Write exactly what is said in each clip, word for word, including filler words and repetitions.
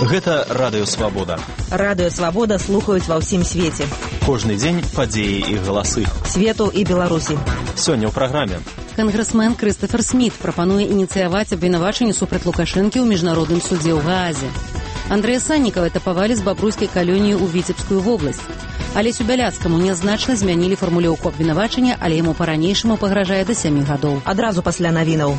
Гэта Радыё Свабода. Радыё Свабода слухаюць ва ўсім свеце. Кожны дзень падзеі і галасы. Свету і Беларусі. Сёння ў праграме. Кангрэсмен Крыстафер Сміт прапануе ініцыяваць абвінавачанне супраць Лукашэнкі ў міжнародным судзе ў Гаазе. Андрэя Саннікава этапавалі з бабруйскай калоніі ў Віцебскую вобласць. Алесю Бяляцкаму нязначна змянілі фармулёўку абвінавачання, але яму па-ранейшаму пагражае да сямі гадоў. Адразу пасля навінаў.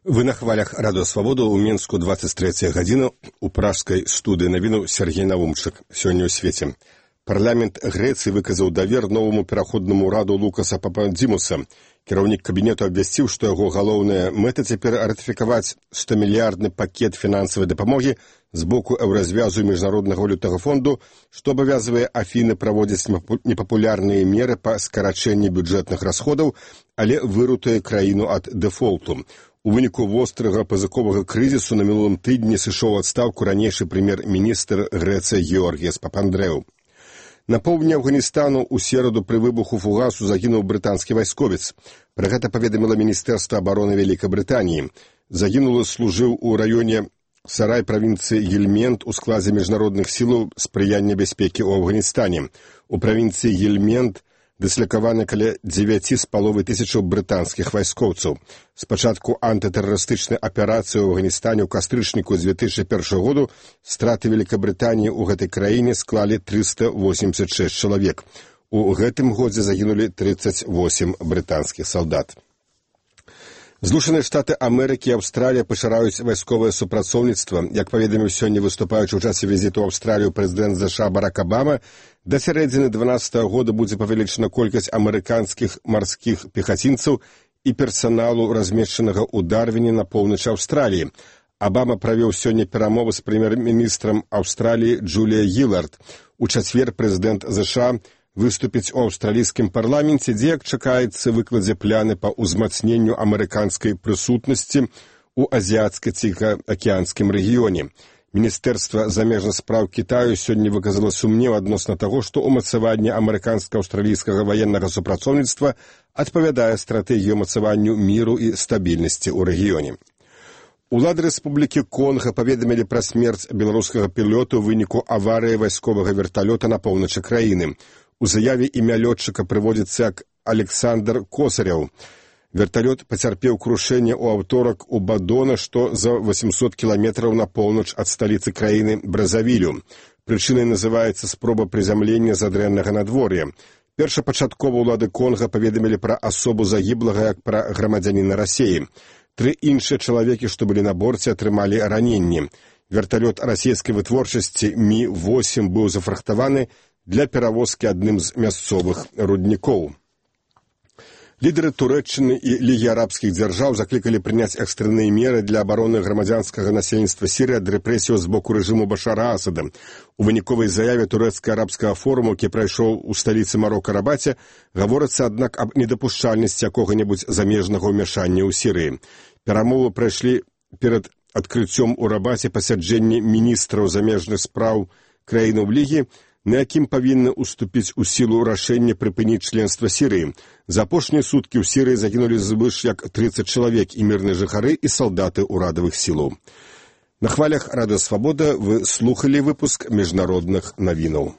Вы на хвалях Радыё Свабода ў Мінску двадцать третья гадзіна у пражскай студыі навіну Сергей Навумчык. Сёння ў свеце. Парламент Грэцыі выказаў давер новаму пераходнаму раду Лукаса Пападзімуса. Кіраўнік кабінету абвясціў, што яго галоўная мэта цяпер ратыфікаваць стомільярдны пакет фінансавай дапамогі з боку еўразвязу міжнароднага валютнага фонду, што абавязвае Афіны праводзіць непапулярныя меры па скарачэнні бюджэтных расходаў, але вырутуе краіну ад дэфолту. У выніку вострага пазыковага крызісу на мінулым тыдні сышоў у адстаўку ранейшы прэм'ер-міністр Грэцыі Георгіяс Папандрэу. На поўдні Афганістану ў сераду пры выбуху фугасу загінуў брытанскі вайсковец. Пра гэта паведаміла Міністэрства абароны Вялікай Брытаніі. Загінулы служыў у раёне Сарай правінцыі Гельмент у складзе міжнародных сілаў спрыяння бяспекі ў Афганістане. У правінцыі Гельмент дыслякаваны каля дзевяці з паловай тысячаў брытанскіх вайскоўцаў. Спачатку антытэрарыстычнай аперацыі ў Афганістане ў кастрычніку з две тысячы першага году страты Великабрытаніі ў гэтай краіне склалі трыста восемьдесят шесть чалавек. У гэтым годзе загінулі тридцать восемь брытанскіх салдат. Злучаныя Штаты Амерыкі і Аўстралія пашыраюць вайсковае супрацоўніцтва. Як паведаміў сёння выступаючы ў часе візіту ў Аўстралію прэзідэнт ЗША Барак Абама, да сярэдзіны дванаццатага года будзе павелічана колькасць амерыканскіх марскіх пехацінцаў і персаналу, размешчанага ў Дарвіне на поўначы Аўстраліі. Абама правёў сёння перамовы з прэм'ер-міністрам Аўстраліі Джулія Гілард. У чацвер прэзідэнт ЗША выступіць у аўстралійскім парламенце, дзе, як чакаецца, выкладзе пляны па ўзмацненню амерыканскай прысутнасці ў азіяцка-ціхаакіянскім рэгіёне. Міністэрства замежных спраў Кітаю сёння выказала сумнеў адносна таго, што ўмацаванне амерыканска-аўстралійскага ваеннага супрацоўніцтва адпавядае стратэгію ўмацаванню міру і стабільнасці ў рэгіёне. Улады Рэспублікі Конга паведамілі пра смерць беларускага пілота ў выніку аварыі вайсковага верталёта на поўначы краіны. У заяве імя лётчыка прыводзіцца як Александр Косаряў. Верталёт пацярпеў крушэнне ў аўторак у Бадона, што за восемьсот кіламетраў на поўнач ад сталіцы краіны Бразавілю. Прычынай называецца спроба прызямлення з адрэннага надвор'я. Першапачаткова ўлады Конга паведамілі пра асобу загіблага як пра грамадзяніна Расеі. Тры іншыя чалавекі, што былі на борце, атрымалі раненні. Верталёт расійскай вытворчасці Мі восемь быў зафрахтаваны для перавозкі адным з мясцовых руднікоў. Лідары Турэччыны і Лігі арабскіх дзяржаў заклікалі прыняць экстрэнныя меры для абароны грамадзянскага насельніцтва Сірыі ад рэпрэсіяў з боку рэжыму Башара Асада. У выніковай заяве турэцка-арабскага форуму, які прайшоў у сталіцы Марока Рабаце, гаворыцца, аднак, аб недапушчальнасці якога-небудзь замежнага ўмяшання ў Сірыі. Перамовы прайшлі перад адкрыццём у Рабаце пасяджэння міністраў замежных спраў краінаў Лігі, на якім павінны ўступіць у сілу рашэння прыпыніць членства Сірыі. За апошнія суткі ў Сірыі загінулі звыш як тридцать чалавек і мірныя жыхары і салдаты ўрадавых сілаў. На хвалях Радыё Свабода вы слухалі выпуск міжнародных навінаў.